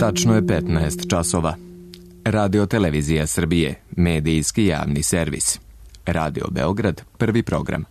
Tačno je 15 časova. Radio Televizija Srbije, medijski javni servis. Radio Beograd, prvi program.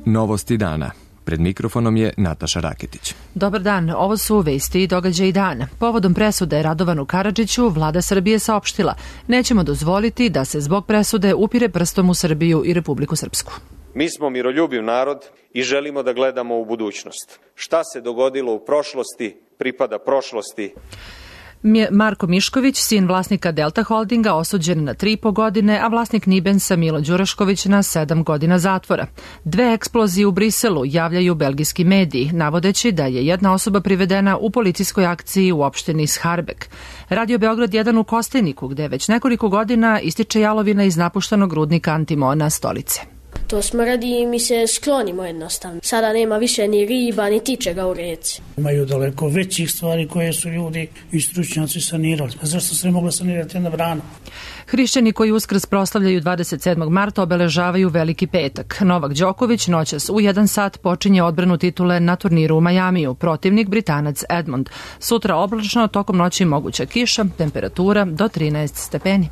Novosti dana. Pred mikrofonom je Nataša Raketić. Dobar dan, ovo su vesti i događaji dana. Povodom presude Radovanu Karadžiću, vlada Srbije saopštila: nećemo dozvoliti da se zbog presude upire prstom u Srbiju i Republiku Srpsku. Mi smo miroljubiv narod i želimo da gledamo u budućnost. Šta se dogodilo u prošlosti, pripada prošlosti. Marko Mišković, sin vlasnika Delta Holdinga, osuđen na 3,5 godine, a vlasnik Nibensa Milo Đurašković na 7 godina zatvora. 2 eksplozije u Briselu javljaju belgijski mediji, navodeći da je jedna osoba privedena u policijskoj akciji u opštini Scharbek. Radio Beograd 1 u Kostajniku, gde već nekoliko godina ističe jalovina iz napuštenog rudnika antimona Stolice. To smrdi i mi se sklonimo jednostavno. Sada nema više ni riba, ni tičega u reci. Imaju daleko većih stvari koje su ljudi i stručnjaci sanirali. Zašto se ne mogla sanirati jedna brana? Hrišćani koji Uskrs proslavljaju 27. marta obeležavaju Veliki petak. Novak Đoković noćas u 1 sat počinje odbranu titule na turniru u Majamiju, protivnik Britanac Edmond. Sutra oblačno, tokom noći moguća kiša, temperatura do 13 stepeni.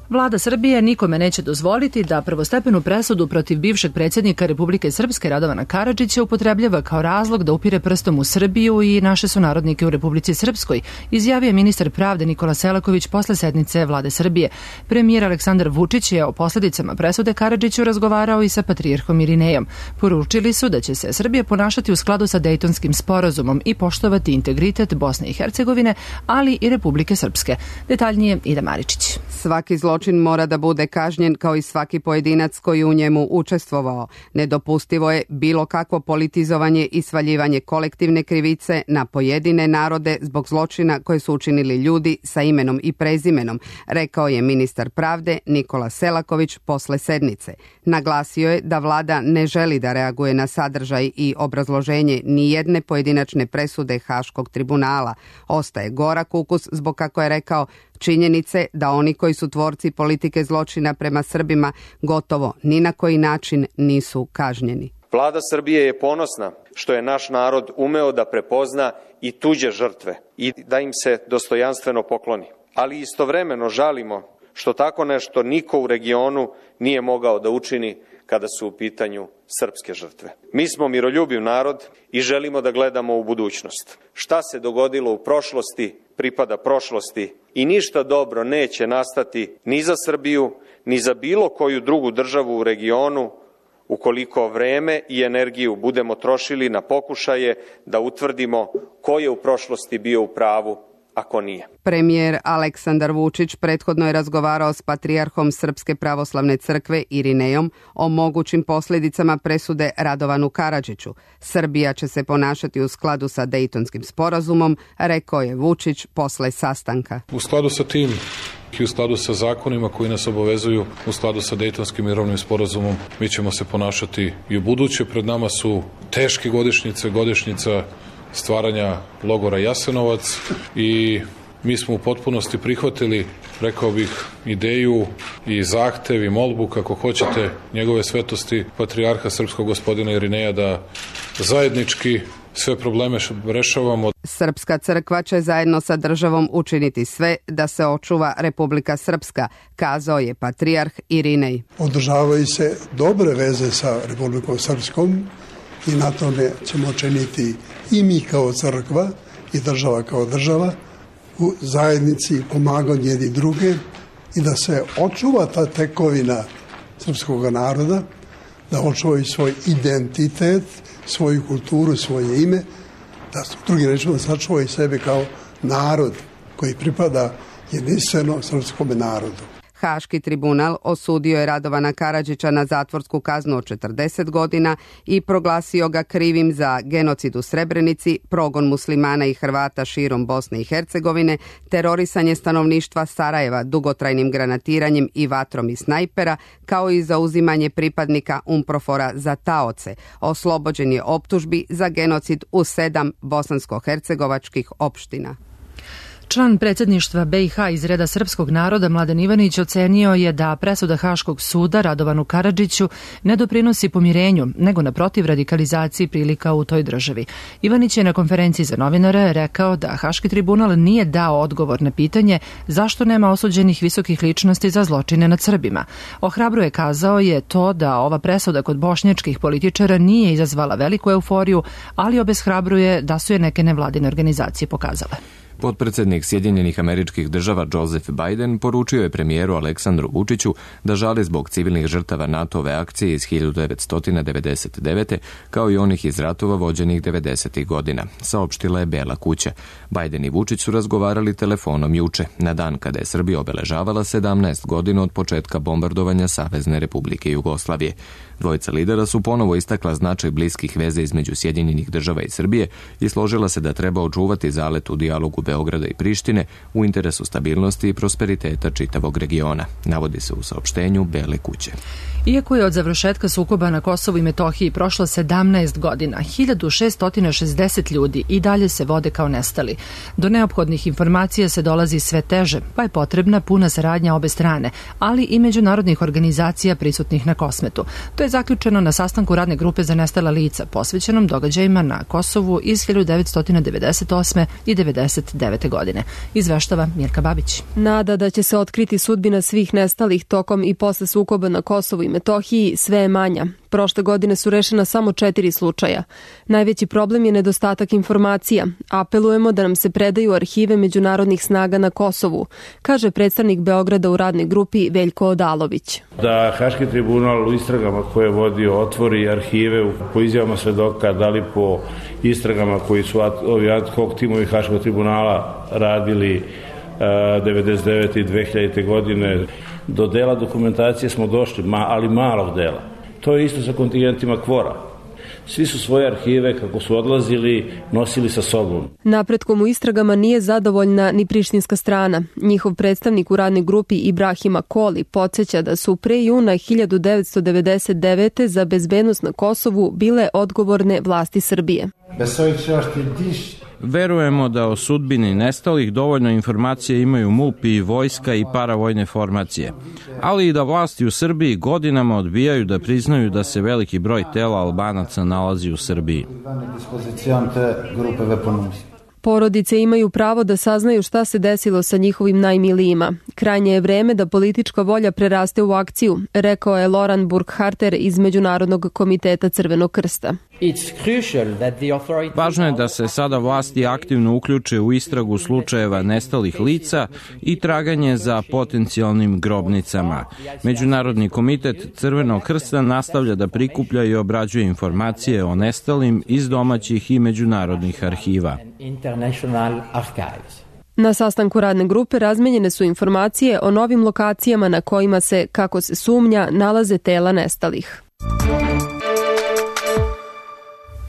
Vlada Srbije nikome neće dozvoliti da prvostepenu presudu protiv bivšeg predsjednika Republike Srpske Radovana Karadžića upotrebljava kao razlog da upire prstom u Srbiju i naše sunarodnike u Republici Srpskoj, izjavio ministar pravde Nikola Selaković posle sednice Vlade Srbije. Premijer Aleksandar Vučić je o posledicama presude Karadžiću razgovarao i sa patrijarhom Irinejom. Poručili su da će se Srbija ponašati u skladu sa Dejtonskim sporazumom i poštovati integritet Bosne i Hercegovine, ali i Republike Srpske. Detaljnije Ida Maričić. Svaki zločin mora da bude kažnjen kao i svaki pojedinac koji u njemu učestvovao. Nedopustivo je bilo kakvo politizovanje i svaljivanje kolektivne krivice na pojedine narode zbog zločina koje su učinili ljudi sa imenom i prezimenom, rekao je ministar pravde Nikola Selaković posle sednice. Naglasio je da vlada ne želi da reaguje na sadržaj i obrazloženje ni jedne pojedinačne presude Haškog tribunala. Ostaje gorak ukus zbog, kako je rekao, činjenice da oni koji su tvorci politike zločina prema Srbima gotovo ni na koji način nisu kažnjeni. Vlada Srbije je ponosna što je naš narod umeo da prepozna i tuđe žrtve i da im se dostojanstveno pokloni. Ali istovremeno žalimo što tako nešto niko u regionu nije mogao da učini kada su u pitanju srpske žrtve. Mi smo miroljubiv narod i želimo da gledamo u budućnost. Šta se dogodilo u prošlosti, pripada prošlosti i ništa dobro neće nastati ni za Srbiju, ni za bilo koju drugu državu u regionu ukoliko vreme i energiju budemo trošili na pokušaje da utvrdimo ko je u prošlosti bio u pravu, a ko nije. Premijer Aleksandar Vučić prethodno je razgovarao s patrijarhom Srpske pravoslavne crkve Irinejom o mogućim posljedicama presude Radovanu Karadžiću. Srbija će se ponašati u skladu sa Dejtonskim sporazumom, rekao je Vučić posle sastanka. U skladu sa tim i u skladu sa zakonima koji nas obavezuju, u skladu sa Dejtonskim mirovnim sporazumom, mi ćemo se ponašati i u buduće. Pred nama su teške godišnjica stvaranja logora Jasenovac i mi smo u potpunosti prihvatili, rekao bih, ideju i zahtev i molbu, kako hoćete, njegove svetosti patrijarha srpskog gospodina Irineja da zajednički sve probleme rešavamo. Srpska crkva će zajedno sa državom učiniti sve da se očuva Republika Srpska, kazao je patrijarh Irinej. Održavaju se dobre veze sa Republikom Srpskom i na tome ćemo činiti i mi kao crkva i država kao država u zajednici pomaganju jedni druge i da se očuva ta tekovina srpskog naroda, da očuvaju svoj identitet, svoju kulturu, svoje ime, da drugi rečima sačuvaju sebe kao narod koji pripada jedinstveno srpskom narodu. Haški tribunal osudio je Radovana Karadžića na zatvorsku kaznu od 40 godina i proglasio ga krivim za genocid u Srebrenici, progon muslimana i Hrvata širom Bosne i Hercegovine, terorisanje stanovništva Sarajeva dugotrajnim granatiranjem i vatrom iz snajpera, kao i za uzimanje pripadnika UNPROFOR-a za taoce. Oslobođen je optužbi za genocid u 7 bosansko-hercegovačkih opština. Član predsjedništva BiH iz reda srpskog naroda Mladen Ivanić ocenio je da presuda Haškog suda Radovanu Karadžiću ne doprinosi pomirenju, nego naprotiv radikalizaciji prilika u toj državi. Ivanić je na konferenciji za novinare rekao da Haški tribunal nije dao odgovor na pitanje zašto nema osuđenih visokih ličnosti za zločine nad Srbima. Ohrabruje, kazao je, to da ova presuda kod bošnjačkih političara nije izazvala veliku euforiju, ali obeshrabruje da su je neke nevladine organizacije pokazale. Potpredsjednik Sjedinjenih Američkih Država Joseph Biden poručio je premijeru Aleksandru Vučiću da žali zbog civilnih žrtava NATO-ve akcije iz 1999. kao i onih iz ratova vođenih 90. godina, saopštila je Bela kuća. Biden i Vučić su razgovarali telefonom juče, na dan kada je Srbija obeležavala 17 godina od početka bombardovanja Savezne Republike Jugoslavije. Dvojica lidera su ponovo istakla značaj bliskih veza između Sjedinjenih Država i Srbije i složila se da treba očuvati zalet u dijalogu Beograda i Prištine u interesu stabilnosti i prosperiteta čitavog regiona, navodi se u saopštenju Bele kuće. Iako je od završetka sukoba na Kosovu i Metohiji prošlo 17 godina, 1660 ljudi i dalje se vode kao nestali. Do neophodnih informacija se dolazi sve teže, pa je potrebna puna saradnja obe strane, ali i međunarodnih organizacija prisutnih na Kosmetu. To je zaključeno na sastanku radne grupe za nestala lica, posvećenom događajima na Kosovu iz 1998. i 1999. godine. Izveštava Mirka Babić. Nada da će se otkriti sudbina svih nestalih tokom i posle sukoba na Kosovu i Metohiji sve je manja. Prošle godine su rešena samo 4 slučaja. Najveći problem je nedostatak informacija. Apelujemo da nam se predaju arhive međunarodnih snaga na Kosovu, kaže predstavnik Beograda u radnoj grupi Veljko Odalović. Da Haški tribunal u istragama koje je vodio otvori arhive po izjavama svedoka, da li po istragama koji su ovi ad hoc timovi Haškog tribunala radili 99. i 2000. godine. Do dela dokumentacije smo došli, ali malog dela. To je isto sa kontingentima KFOR-a. Svi su svoje arhive, kako su odlazili, nosili sa sobom. Napretkom u istragama nije zadovoljna ni prištinska strana. Njihov predstavnik u radnoj grupi Ibrahima Koli podsjeća da su pre juna 1999. za bezbednost na Kosovu bile odgovorne vlasti Srbije. Verujemo da o sudbini nestalih dovoljno informacije imaju MUP i vojska i paravojne formacije, ali i da vlasti u Srbiji godinama odbijaju da priznaju da se veliki broj tela Albanaca nalazi u Srbiji. Porodice imaju pravo da saznaju šta se desilo sa njihovim najmilijima. Krajnje je vreme da politička volja preraste u akciju, rekao je Loran Burkharter iz Međunarodnog komiteta Crvenog krsta. Važno je da se sada vlasti aktivno uključe u istragu slučajeva nestalih lica i traganje za potencijalnim grobnicama. Međunarodni komitet Crvenog krsta nastavlja da prikuplja i obrađuje informacije o nestalim iz domaćih i međunarodnih arhiva. Na sastanku radne grupe razmenjene su informacije o novim lokacijama na kojima se, kako se sumnja, nalaze tela nestalih.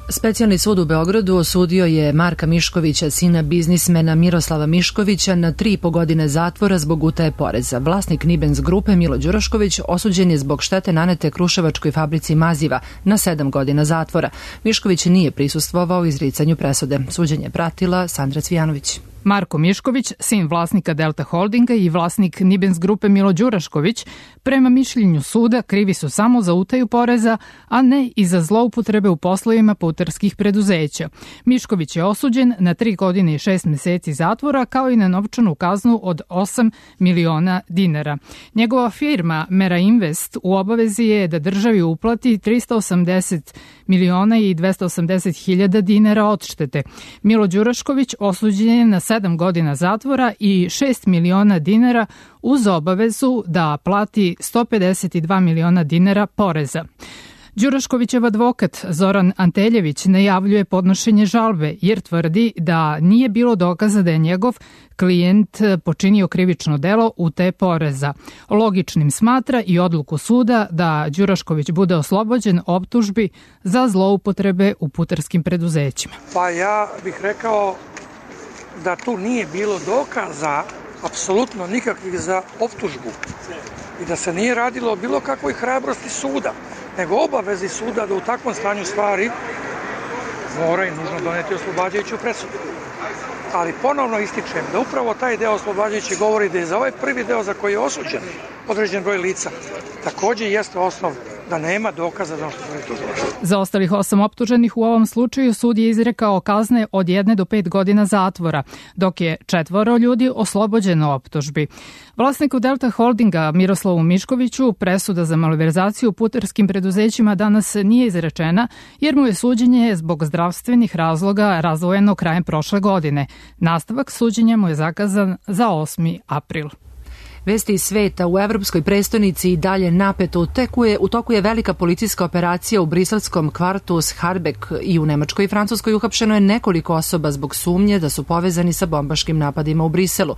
Specijalni sud u Beogradu osudio je Marka Miškovića, sina biznismena Miroslava Miškovića, na 3,5 godine zatvora zbog utaje poreza. Vlasnik Nibens grupe Milo Đurašković osuđen je zbog štete nanete Kruševačkoj fabrici maziva na 7 godina zatvora. Mišković nije prisustvovao izricanju presude. Suđenje pratila Sandra Cvijanović. Marko Mišković, sin vlasnika Delta Holdinga i vlasnik Nibens grupe Milo Đurašković, prema mišljenju suda krivi su samo za utaju poreza, a ne i za zloupotrebe u poslovima putarskih preduzeća. Mišković je osuđen na 3 godine i 6 meseci zatvora, kao i na novčanu kaznu od 8 miliona dinara. Njegova firma Mera Invest u obavezi je da državi uplati 380 miliona i 280 hiljada dinara odštete. Milo Đurašković osuđen je na 7 godina zatvora i 6 miliona dinara uz obavezu da plati 152 miliona dinara poreza. Đuraškovićev advokat Zoran Anteljević najavljuje podnošenje žalbe jer tvrdi da nije bilo dokaza da je njegov klijent počinio krivično delo utaje poreza. Logičnim smatra i odluku suda da Đurašković bude oslobođen optužbi za zloupotrebe u putarskim preduzećima. Pa ja bih rekao da tu nije bilo dokaza, apsolutno nikakvih, za optužbu i da se nije radilo o bilo kakvoj hrabrosti suda, nego obavezi suda da u takvom stanju stvari mora i nužno doneti oslobađajuću presudu. ali ponovno ističem da upravo taj deo oslobađajući govori da je za ovaj prvi deo za koji je osuđen određen broj lica takođe jeste osnov da nema dokaza za ono što je tužilaštvo. Za ostalih 8 optuženih u ovom slučaju sud je izrekao kazne od 1 do 5 godina zatvora, dok je 4 ljudi oslobođeno optužbi. Vlasniku Delta Holdinga Miroslavu Miškoviću presuda za malverzaciju u putarskim preduzećima danas nije izrečena jer mu je suđenje zbog zdravstvenih razloga razdvojeno krajem prošle godine. Nastavak suđenja mu je zakazan za 8. april. Vesti iz sveta: u evropskoj prestonici i dalje napeto u toku je velika policijska operacija u briselskom kvartu Scharbek i u Nemačkoj i Francuskoj uhapšeno je nekoliko osoba zbog sumnje da su povezani sa bombaškim napadima u Briselu.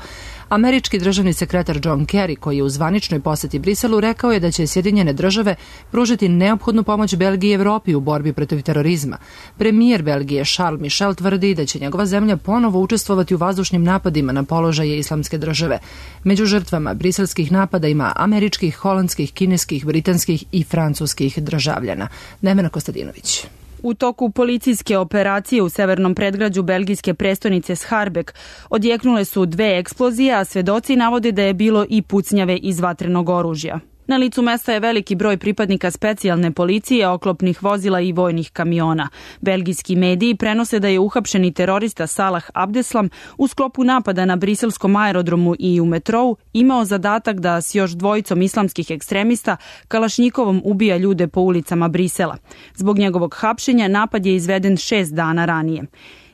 Američki državni sekretar John Kerry, koji je u zvaničnoj poseti Briselu, rekao je da će Sjedinjene države pružiti neophodnu pomoć Belgiji i Evropi u borbi protiv terorizma. Premijer Belgije Charles Michel tvrdi da će njegova zemlja ponovo učestvovati u vazdušnim napadima na položaje Islamske države. Među žrtvama briselskih napada ima američkih, holandskih, kineskih, britanskih i francuskih državljana. Nevena Kostadinović. U toku policijske operacije u severnom predgrađu belgijske prestonice Scharbek odjeknule su 2 eksplozije, a svedoci navode da je bilo i pucnjave iz vatrenog oružja. Na licu mesta je veliki broj pripadnika specijalne policije, oklopnih vozila i vojnih kamiona. Belgijski mediji prenose da je uhapšeni terorista Salah Abdeslam u sklopu napada na briselskom aerodromu i u metrou imao zadatak da s još 2 islamskih ekstremista kalašnjikovom ubija ljude po ulicama Brisela. Zbog njegovog hapšenja napad je izveden 6 dana ranije.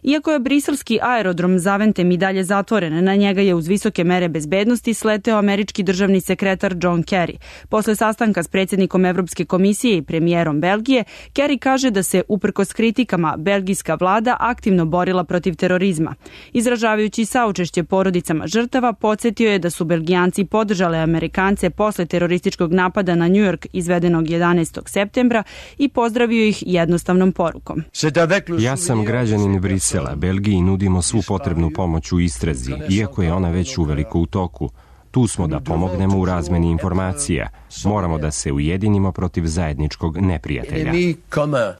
Iako je briselski aerodrom Zaventem i dalje zatvoren, na njega je uz visoke mere bezbednosti sleteo američki državni sekretar John Kerry. Posle sastanka s predsjednikom Evropske komisije i premijerom Belgije, Kerry kaže da se, uprkos kritikama, belgijska vlada aktivno borila protiv terorizma. Izražavajući saučešće porodicama žrtava, podsjetio je da su Belgijanci podržale Amerikance posle terorističkog napada na New York izvedenog 11. septembra i pozdravio ih jednostavnom porukom. Ja sam građanin Brisela. Belgiji nudimo svu potrebnu pomoć u istrazi, iako je ona već uveliko u toku. Tu smo da pomognemo u razmeni informacija. Moramo da se ujedinimo protiv zajedničkog neprijatelja.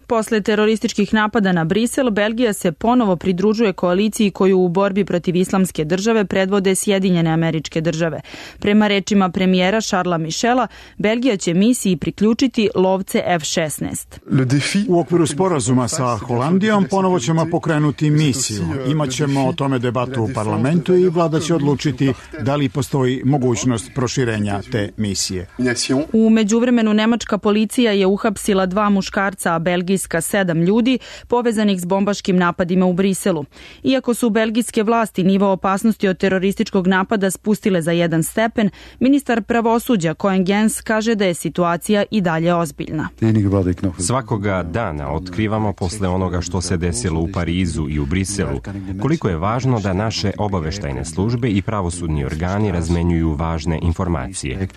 Posle terorističkih napada na Brisel, Belgija se ponovo pridružuje koaliciji koju u borbi protiv Islamske države predvode Sjedinjene Američke države. Prema rečima premijera Charlesa Michela, Belgija će misiji priključiti lovce F-16. U okviru sporazuma sa Holandijom ponovo ćemo pokrenuti misiju. Imaćemo o tome debatu u parlamentu i vlada će odlučiti da li postoji mogućnost proširenja te misije. U međuvremenu nemačka policija je uhapsila 2 muškarca, a belgijska 7 ljudi povezanih s bombaškim napadima u Briselu. Iako su belgijske vlasti nivo opasnosti od terorističkog napada spustile za 1 stepen, ministar pravosuđa Koen Gens kaže da je situacija i dalje ozbiljna. Svakoga dana otkrivamo posle onoga što se desilo u Parizu i u Briselu, koliko je važno da naše obaveštajne službe i pravosudni organi razmenjuju važne informacije.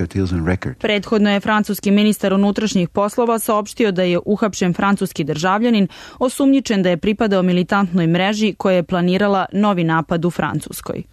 Prethodno je francuski ministar unutrašnjih poslova saopštio da je uhapšen francuski državljanin osumnjičen da je pripadao militantnoj mreži koja je planirala novi napad u Francuskoj.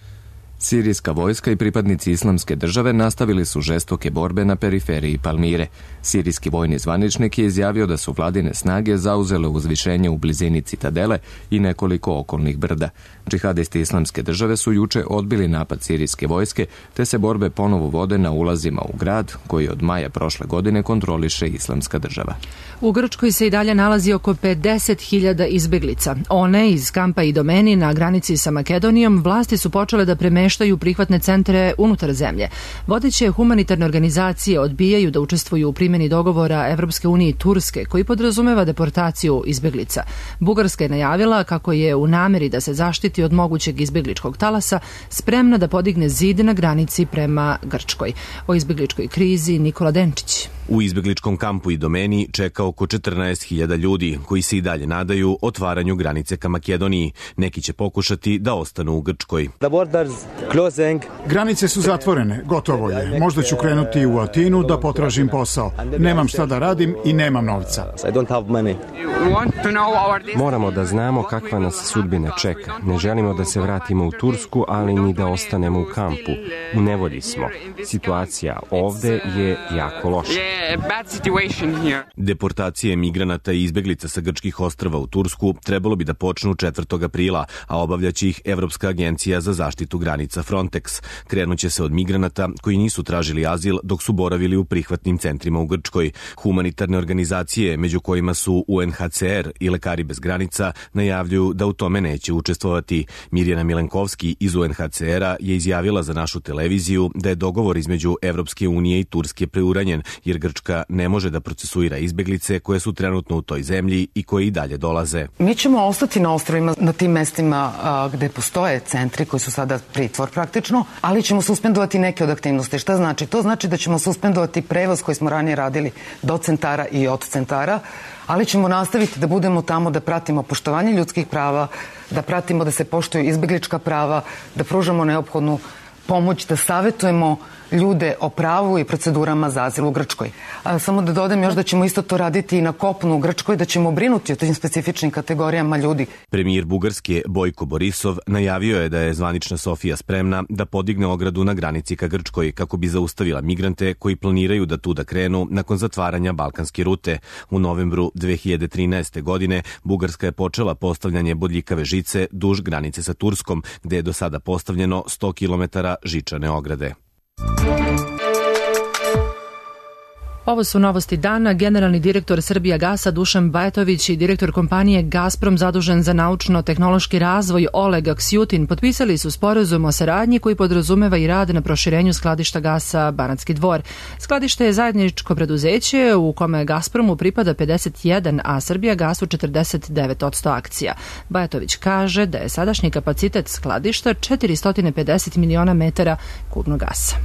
Sirijska vojska i pripadnici Islamske države nastavili su žestoke borbe na periferiji Palmire. Sirijski vojni zvaničnik je izjavio da su vladine snage zauzele uzvišenje u blizini Citadele i nekoliko okolnih brda. Džihadisti Islamske države su juče odbili napad sirijske vojske, te se borbe ponovo vode na ulazima u grad, koji od maja prošle godine kontroliše Islamska država. U Grčkoj se i dalje nalazi oko 50.000 izbeglica. One iz kampa Idomeni na granici sa Makedonijom vlasti su počele da premeštaju prihvatne centre unutar zemlje. Vodeće humanitarne organizacije odbijaju da učestvuju u primjeni dogovora Evropske unije i Turske, koji podrazumeva deportaciju izbeglica. Bugarska je najavila kako je u nameri da se zaštiti od mogućeg izbegličkog talasa spremna da podigne zid na granici prema Grčkoj. O izbegličkoj krizi Nikola Denčić. U izbegličkom kampu Idomeni čeka oko 14.000 ljudi koji se i dalje nadaju otvaranju granice ka Makedoniji. Neki će pokušati da ostanu u Grčkoj. Granice su zatvorene, gotovo je. Možda ću krenuti u Atinu da potražim posao. Nemam šta da radim i nemam novca. Moramo da znamo kakva nas sudbina čeka. Ne želimo da se vratimo u Tursku, ali ni da ostanemo u kampu. U nevolji smo. Situacija ovde je jako loša. Deportacije migranata i izbeglica sa grčkih ostrva u Tursku trebalo bi da počnu 4. aprila, a obavljaće ih Evropska agencija za zaštitu granica Frontex. Krenuće se od migranata koji nisu tražili azil dok su boravili u prihvatnim centrima u Grčkoj. Humanitarne organizacije, među kojima su UNHCR i Lekari bez granica, najavljuju da u tome neće učestvovati. Mirjana Milenkovski iz UNHCR-a je izjavila za našu televiziju da je dogovor između Evropske unije i Turske preuranjen, jer Grčka ne može da procesuira izbeglice koje su trenutno u toj zemlji i koje i dalje dolaze. Mi ćemo ostati na ostrvima, na tim mestima gde postoje centri koji su sada pritvor praktično, ali ćemo suspendovati neke od aktivnosti. Šta znači? To znači da ćemo suspendovati prevoz koji smo ranije radili do centara i od centara, ali ćemo nastaviti da budemo tamo, da pratimo poštovanje ljudskih prava, da pratimo da se poštuju izbeglička prava, da pružamo neophodnu pomoć, da savetujemo ljude o pravu i procedurama za azil u Grčkoj. Samo da dodam još da ćemo isto to raditi i na kopnu u Grčkoj, da ćemo brinuti o tim specifičnim kategorijama ljudi. Premijer Bugarske Bojko Borisov najavio je da je zvanična Sofija spremna da podigne ogradu na granici ka Grčkoj kako bi zaustavila migrante koji planiraju da tu da krenu nakon zatvaranja balkanske rute. U novembru 2013. godine Bugarska je počela postavljanje bodljikave žice duž granice sa Turskom, gde je do sada postavljeno 100 km žičane ograde. Ovo su novosti dana. Generalni direktor Srbijagasa Dušan Bajatović i direktor kompanije Gazprom zadužen za naučno-tehnološki razvoj Oleg Aksjutin potpisali su sporazum o saradnji koji podrazumeva i rad na proširenju skladišta gasa Banatski Dvor. Skladište je zajedničko preduzeće u kome Gazpromu pripada 51, a Srbijagasu 49% akcija. Bajatović kaže da je sadašnji kapacitet skladišta 450 miliona metara kubnog gasa.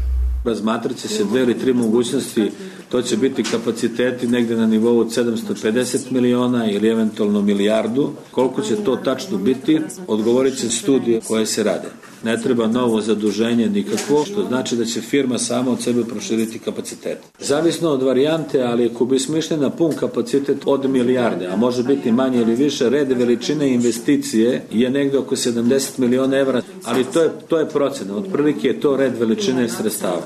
Razmatrat će se 2 ili 3 mogućnosti, to će biti kapaciteti negde na nivou od 750 miliona ili eventualno milijardu. Koliko će to tačno biti, odgovorit će studije koje se rade. Ne treba novo zaduženje nikakvo, što znači da će firma sama od sebe proširiti kapacitet. Zavisno od varijante, ali ako bismo išli na pun kapacitet od milijarde, a može biti manje ili više, red veličine investicije je negde oko 70 miliona evra, ali to je procena. Otprilike je to red veličine sredstava.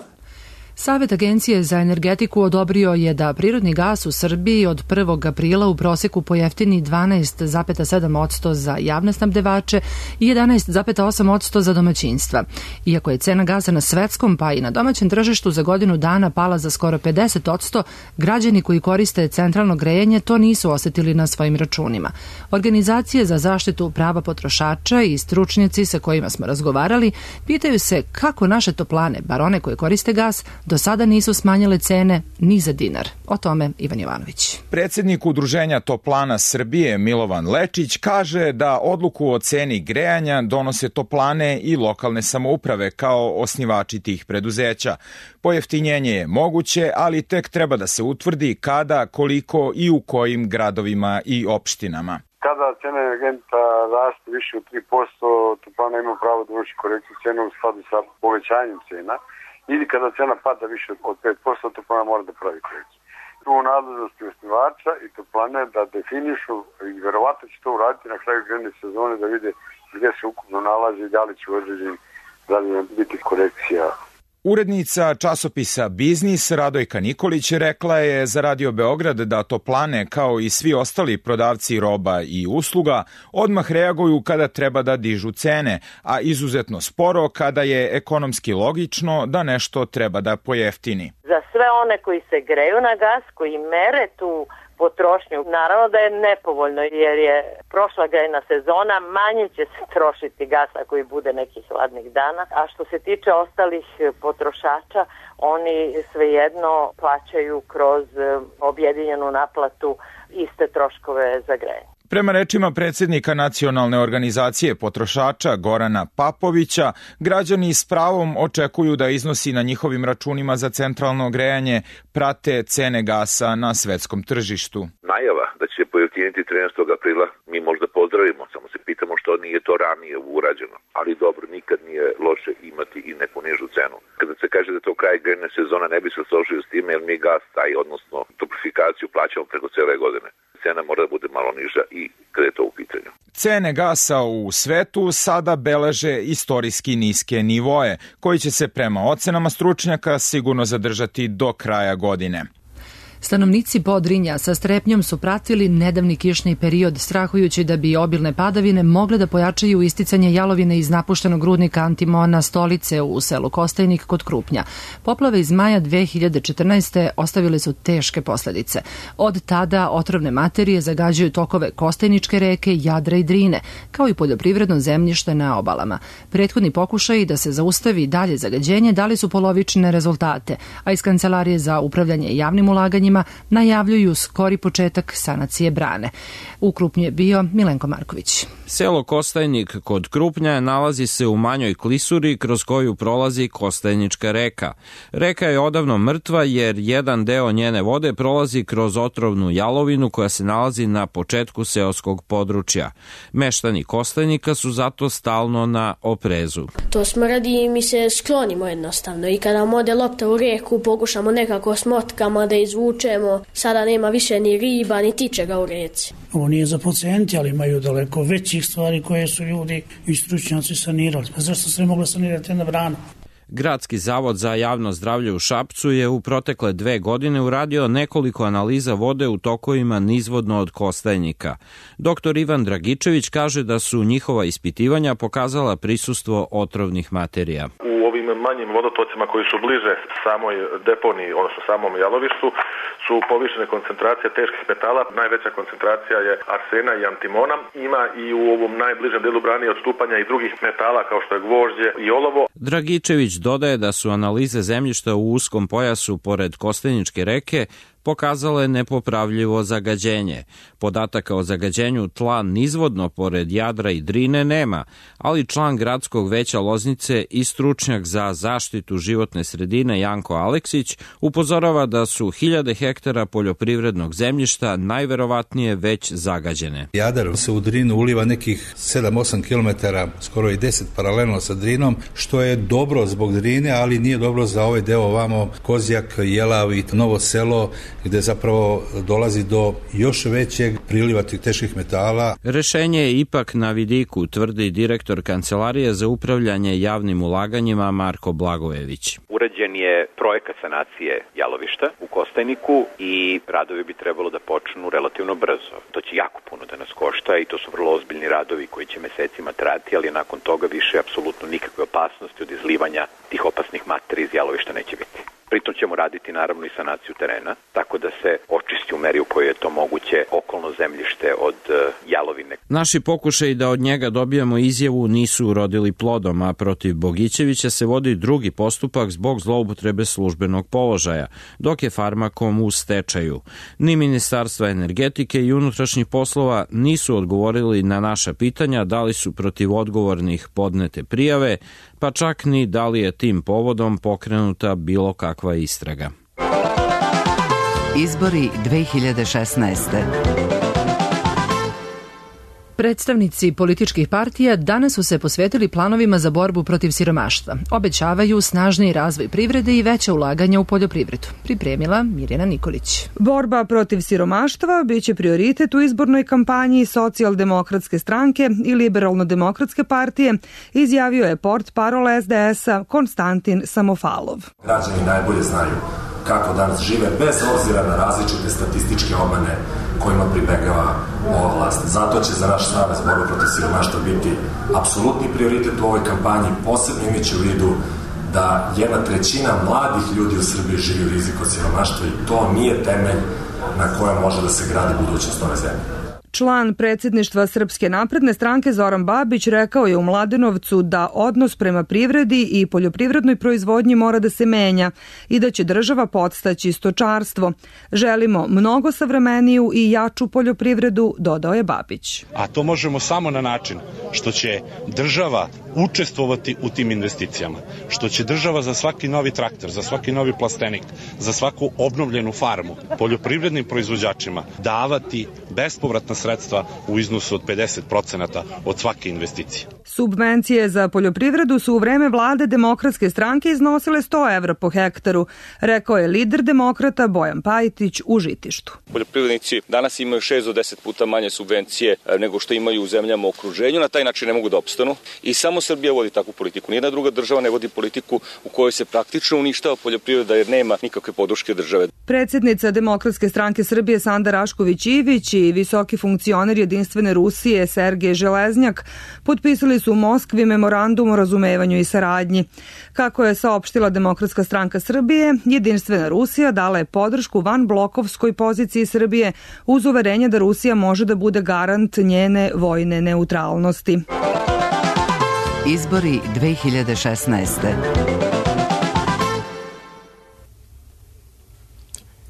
Savet Agencije za energetiku odobrio je da prirodni gas u Srbiji od 1. aprila u proseku pojeftini 12,7% za javne snabdevače i 11,8% za domaćinstva. Iako je cena gasa na svetskom pa i na domaćem tržištu za godinu dana pala za skoro 50%, građani koji koriste centralno grejanje to nisu osetili na svojim računima. Organizacije za zaštitu prava potrošača i stručnjaci sa kojima smo razgovarali pitaju se kako naše toplane, bar one koje koriste gas, do sada nisu smanjile cene ni za dinar. O tome Ivan Jovanović. Predsjednik Udruženja Toplana Srbije Milovan Lečić kaže da odluku o ceni grejanja donose toplane i lokalne samouprave kao osnivači tih preduzeća. Pojeftinjenje je moguće, ali tek treba da se utvrdi kada, koliko i u kojim gradovima i opštinama. Kada cena energenta raste više od 3%, toplana ima pravo da vrši korekciju cena u skladu sa povećanjem cena. Ili kada cena pada više od 5%, toplana mora da pravi korekciju. Tu u nadležnosti osnivača i toplane da definišu i verovatno će to uraditi na kraju grejne sezone da vide gdje se ukupno nalazi i da li će biti korekcija. Urednica časopisa Biznis Radojka Nikolić rekla je za Radio Beograd da toplane kao i svi ostali prodavci roba i usluga odmah reaguju kada treba da dižu cene, a izuzetno sporo kada je ekonomski logično da nešto treba da pojeftini. Za sve one koji se greju na gas, koji mere tu potrošnju, naravno da je nepovoljno jer je prošla grejna sezona, manje će se trošiti gas ako i bude nekih hladnih dana, a što se tiče ostalih potrošača, oni svejedno plaćaju kroz objedinjenu naplatu iste troškove za grejanje. Prema rečima predsjednika Nacionalne organizacije potrošača Gorana Papovića, građani s pravom očekuju da iznosi na njihovim računima za centralno grejanje prate cene gasa na svetskom tržištu. Najava da će pojeftiniti 13. aprila mi možda pozdravimo, samo se pitamo što nije to ranije urađeno. Ali dobro, nikad nije loše imati i neku nižu cenu. Kada se kaže da to kraj grejne sezona, ne bi se složio s time jer mi gas taj, odnosno toplifikaciju plaćamo preko cele godine. Cena mora da bude malo niža i kada je to u pitanju. Cene gasa u svetu sada beleže istorijski niske nivoe, koji će se prema ocenama stručnjaka sigurno zadržati do kraja godine. Stanovnici Podrinja sa strepnjom su pratili nedavni kišni period, strahujući da bi obilne padavine mogle da pojačaju isticanje jalovine iz napuštenog rudnika antimona Stolice u selu Kostajnik kod Krupnja. Poplave iz maja 2014. ostavile su teške posledice. Od tada otrovne materije zagađuju tokove Kostajničke reke, Jadra i Drine, kao i poljoprivredno zemljište na obalama. Prethodni pokušaji da se zaustavi dalje zagađenje dali su polovične rezultate, a iz Kancelarije za upravljanje javnim ulaganjima najavljuju skori početak sanacije brane. U Krupnju je bio Milenko Marković. Selo Kostajnik kod Krupnja nalazi se u manjoj klisuri kroz koju prolazi Kostajnička reka. Reka je odavno mrtva jer jedan deo njene vode prolazi kroz otrovnu jalovinu koja se nalazi na početku seoskog područja. Meštani Kostajnika su zato stalno na oprezu. To smrdi i mi se sklonimo jednostavno i kada ode lopta u reku pokušamo nekako s motkama da izvučemo. Sada nema više ni riba ni tičega u reci. Ovo nije za pacijenti, ali imaju daleko većih stvari koje su ljudi i stručnjaci sanirali. Pa zašto se ne mogla sanirati jedna brana? Gradski zavod za javno zdravlje u Šapcu je u protekle 2 godine uradio nekoliko analiza vode u tokovima nizvodno od Kostajnika. Dr. Ivan Dragičević kaže da su njihova ispitivanja pokazala prisustvo otrovnih materija. U ovim manjim vodotocima koji su bliže samoj deponiji, odnosno samom jalovištu, su povišene koncentracije teških metala. Najveća koncentracija je arsena i antimona. Ima i u ovom najbližem delu brane odstupanja i drugih metala kao što je gvožđe i olovo. Dragičević dodaje da su analize zemljišta u uskom pojasu pored Kostajničke reke pokazale nepopravljivo zagađenje. Podataka o zagađenju tla nizvodno pored Jadra i Drine nema, ali član Gradskog veća Loznice i stručnjak za zaštitu životne sredine Janko Aleksić upozorava da su hiljade hektara poljoprivrednog zemljišta najverovatnije već zagađene. Jadar se u Drinu uliva nekih 7-8 km, skoro i 10 paralelno sa Drinom, što je dobro zbog Drine, ali nije dobro za ovaj deo ovamo Kozjak, Jelav i Novo Selo, gde zapravo dolazi do još većeg priliva tih teških metala. Rešenje je ipak na vidiku, tvrdi direktor Kancelarije za upravljanje javnim ulaganjima Marko Blagojević. Urađen je projekat sanacije jalovišta u Kostajniku i radovi bi trebalo da počnu relativno brzo. To će jako puno da nas košta i to su vrlo ozbiljni radovi koji će mesecima trajati, ali nakon toga više apsolutno nikakve opasnosti od izlivanja tih opasnih materija iz jalovišta neće biti. Pritom ćemo raditi naravno i sanaciju terena, tako da se očisti u meri u kojoj je to moguće okolno zemljište od jalovine. Naši pokušaji da od njega dobijemo izjavu nisu urodili plodom, a protiv Bogićevića se vodi drugi postupak zbog zloupotrebe službenog položaja, dok je Farmakom u stečaju. Ni Ministarstva energetike i unutrašnjih poslova nisu odgovorili na naša pitanja da li su protiv odgovornih podnete prijave, pa čak ni da li je tim povodom pokrenuta bilo kakva istraga. Izbori 2016. Predstavnici političkih partija danas su se posvetili planovima za borbu protiv siromaštva. Obećavaju snažniji razvoj privrede i veće ulaganja u poljoprivredu. Pripremila Mirjana Nikolić. Borba protiv siromaštva biće prioritet u izbornoj kampanji Socijaldemokratske stranke i Liberalno-demokratske partije, izjavio je portparol SDS-a Konstantin Samofalov. Građani najbolje znaju kako danas žive bez obzira na različite statističke obmane kojima pribegava ova vlast. Zato će za naš savez borba protiv siromaštva biti apsolutni prioritet u ovoj kampanji, posebno imajući u vidu da 1/3 mladih ljudi u Srbiji živi u riziku od siromaštva i to nije temelj na kojem može da se gradi budućnost ove zemlje. Član predsjedništva Srpske napredne stranke Zoran Babić rekao je u Mladenovcu da odnos prema privredi i poljoprivrednoj proizvodnji mora da se menja i da će država podstaći stočarstvo. Želimo mnogo savremeniju i jaču poljoprivredu, dodao je Babić. A to možemo samo na način što će država učestvovati u tim investicijama, što će država za svaki novi traktor, za svaki novi plastenik, za svaku obnovljenu farmu poljoprivrednim proizvođačima davati bespovratna sredstva u iznosu od 50% od svake investicije. Subvencije za poljoprivredu su u vreme vlade Demokratske stranke iznosile 100 evra po hektaru, rekao je lider demokrata Bojan Pajtić u Žitištu. Poljoprivrednici danas imaju 6 do 10 puta manje subvencije nego što imaju u zemljama u okruženju, na taj način ne mogu da opstanu i samo samo Srbija vodi takvu politiku. Nijedna druga država ne vodi politiku u kojoj se praktično uništava poljoprivreda jer nema nikakve podrške države. Predsjednica Demokratske stranke Srbije Sanda Rašković-Ivić i visoki funkcioner Jedinstvene Rusije Sergej Železnjak potpisali su u Moskvi memorandum o razumevanju i saradnji. Kako je saopštila Demokratska stranka Srbije, Jedinstvena Rusija dala je podršku vanblokovskoj poziciji Srbije uz uverenje da Rusija može da bude garant njene vojne neutralnosti. Izbori 2016.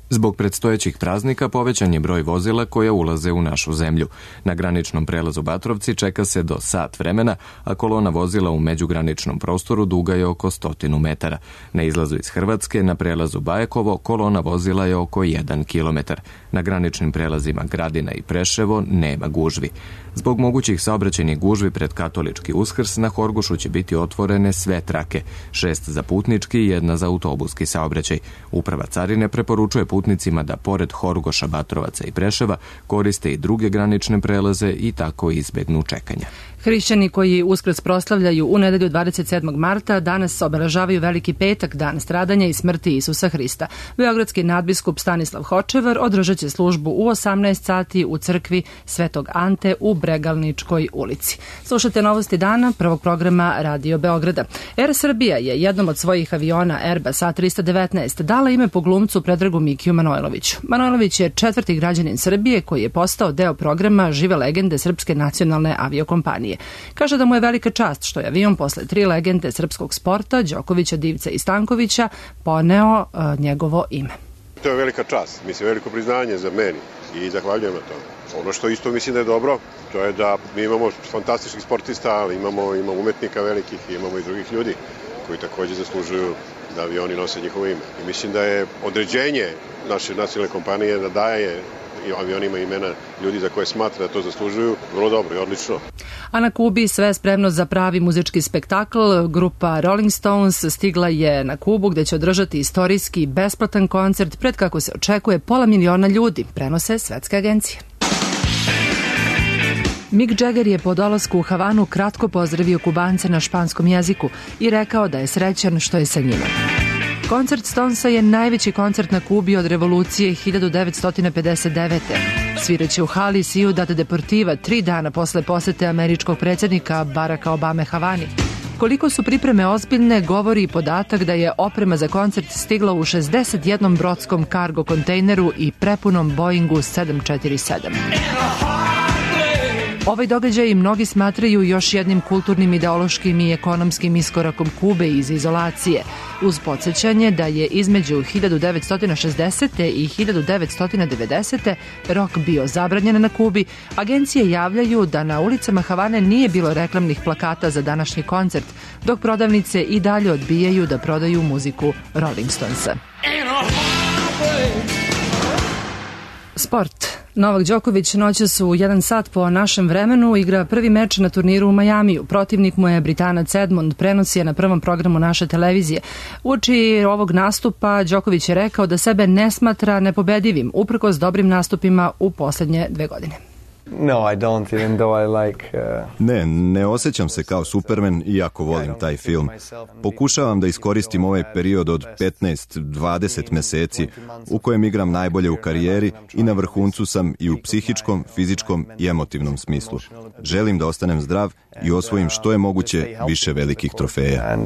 Zbog predstojećih praznika povećan je broj vozila koja ulaze u našu zemlju. Na graničnom prelazu Batrovci čeka se do sat vremena, a kolona vozila u međugraničnom prostoru duga je oko 100 metara. Na izlazu iz Hrvatske, na prelazu Bajekovo, kolona vozila je oko 1 kilometar. Na graničnim prelazima Gradina i Preševo nema gužvi. Zbog mogućih saobraćajnih gužvi pred katolički Uskrs na Horgošu će biti otvorene sve trake, 6 za putnički i 1 za autobuski saobraćaj. Uprava carine preporučuje putnicima da pored Horgoša, Batrovaca i Preševa koriste i druge granične prelaze i tako izbegnu čekanja. Hrišćani koji Uskrs proslavljaju u nedelju 27. marta danas obeležavaju Veliki petak, dan stradanja i smrti Isusa Hrista. Beogradski nadbiskup Stanislav Hočevar održat će službu u 18 sati u crkvi Svetog Ante u Bregalničkoj ulici. Slušate novosti dana prvog programa Radio Beograda. Air Srbija je jednom od svojih aviona Airbus A319 dala ime po glumcu Predragu Mikiju Manojloviću. Manojlović je 4. građanin Srbije koji je postao deo programa Žive legende Srpske nacionalne aviokompanije. Kaže da mu je velika čast što je avion posle 3 legende srpskog sporta, Đokovića, Divca i Stankovića, poneo njegovo ime. To je velika čast, mislim, veliko priznanje za meni i zahvaljujem na tome. Ono što isto mislim da je dobro, to je da mi imamo fantastičnih sportista, ali imamo umetnika velikih i imamo i drugih ljudi koji takođe zaslužuju da avioni nose njihovo ime. I mislim da je određenje naše nacionalne kompanije da daje i avionima imena ljudi za koje smatra da to zaslužuju, vrlo dobro i odlično. A na Kubi sve spremno za pravi muzički spektakl. Grupa Rolling Stones stigla je na Kubu gde će održati istorijski besplatan koncert pred, kako se očekuje, 500 miliona ljudi, prenose svetske agencije. Mick Jagger je po dolasku u Havanu kratko pozdravio Kubance na španskom jeziku i rekao da je srećan što je sa njima. Koncert Stonesa je najveći koncert na Kubi od revolucije 1959. Sviraće u hali Ciudad Deportiva 3 dana posle posete američkog predsjednika Baracka Obame Havani. Koliko su pripreme ozbiljne, govori i podatak da je oprema za koncert stigla u 61 brodskom kargo kontejneru i prepunom Boeingu 747. Ovaj događaj mnogi smatraju još jednim kulturnim, ideološkim i ekonomskim iskorakom Kube iz izolacije, uz podsjećanje da je između 1960. i 1990. rok bio zabranjen na Kubi. Agencije javljaju da na ulicama Havane nije bilo reklamnih plakata za današnji koncert, dok prodavnice i dalje odbijaju da prodaju muziku Rolling Stonesa. Sport. Novak Đoković noćas u 1 sat po našem vremenu igra prvi meč na turniru u Majamiju. Protivnik mu je Britanac Edmond, prenosi je na prvom programu naše televizije. Uoči ovog nastupa Đoković je rekao da sebe ne smatra nepobedivim, uprkos dobrim nastupima u poslednje 2 godine. Ne osjećam se kao Superman, iako volim taj film. Pokušavam da iskoristim ovaj period od 15-20 meseci u kojem igram najbolje u karijeri i na vrhuncu sam i u psihičkom, fizičkom i emotivnom smislu. Želim da ostanem zdrav i osvojim što je moguće više velikih trofeja.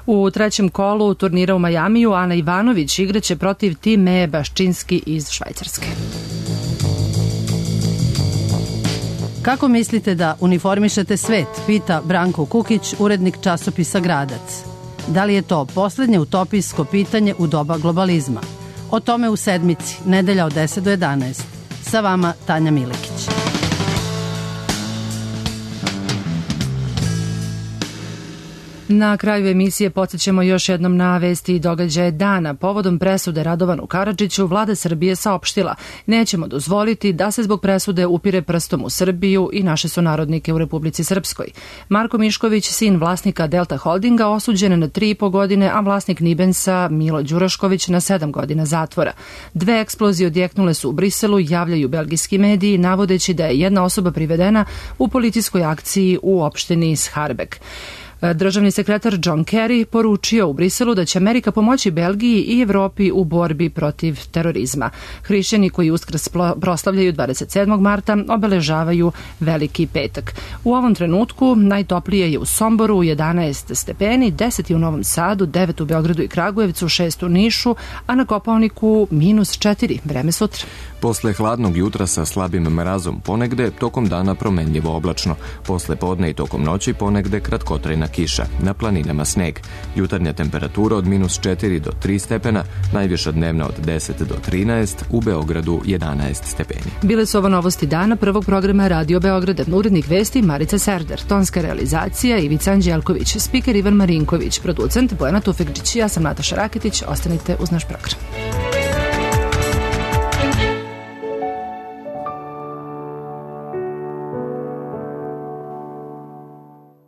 U trećem kolu turnira u Majamiju Ana Ivanović igraće protiv Time Baščinski iz Švajcarske. Kako mislite da uniformišete svet, pita Branko Kukić, urednik časopisa Gradac. Da li je to poslednje utopijsko pitanje u doba globalizma? O tome u Sedmici, nedelja od 10 do 11. Sa vama Tanja Milekić. Na kraju emisije podsjećamo još jednom na vesti i događaje dana. Povodom presude Radovanu Karadžiću, vlada Srbije saopštila: nećemo dozvoliti da se zbog presude upire prstom u Srbiju i naše sunarodnike u Republici Srpskoj. Marko Mišković, sin vlasnika Delta Holdinga, osuđen na 3,5 godine, a vlasnik Nibensa Milo Đurašković na 7 godina zatvora. 2 eksplozije odjeknule su u Briselu, javljaju belgijski mediji, navodeći da je jedna osoba privedena u policijskoj akciji u opštini Scharbek. Državni sekretar John Kerry poručio u Briselu da će Amerika pomoći Belgiji i Evropi u borbi protiv terorizma. Hrišćani koji Uskrs proslavljaju 27. marta obeležavaju Veliki petak. U ovom trenutku najtoplije je u Somboru 11 stepeni, 10 je u Novom Sadu, 9 u Beogradu i Kragujevcu, 6 u Nišu, a na Kopaoniku -4. Vreme sutra. Posle hladnog jutra sa slabim mrazom ponegde, tokom dana promenljivo oblačno. Posle podne i tokom noći ponegde kratkotrajna kiša. Na planinama sneg. Jutarnja temperatura od -4 do 3 stepena, najviša dnevna od 10 do 13, u Beogradu 11 stepeni. Bile su ovo novosti dana prvog programa Radio Beograda. Urednik vesti Marica Serder, tonska realizacija Ivica Anđelković, spiker Ivan Marinković, producent Bojana Tufekđić. Ja sam Nataša Raketić. Ostanite uz naš program.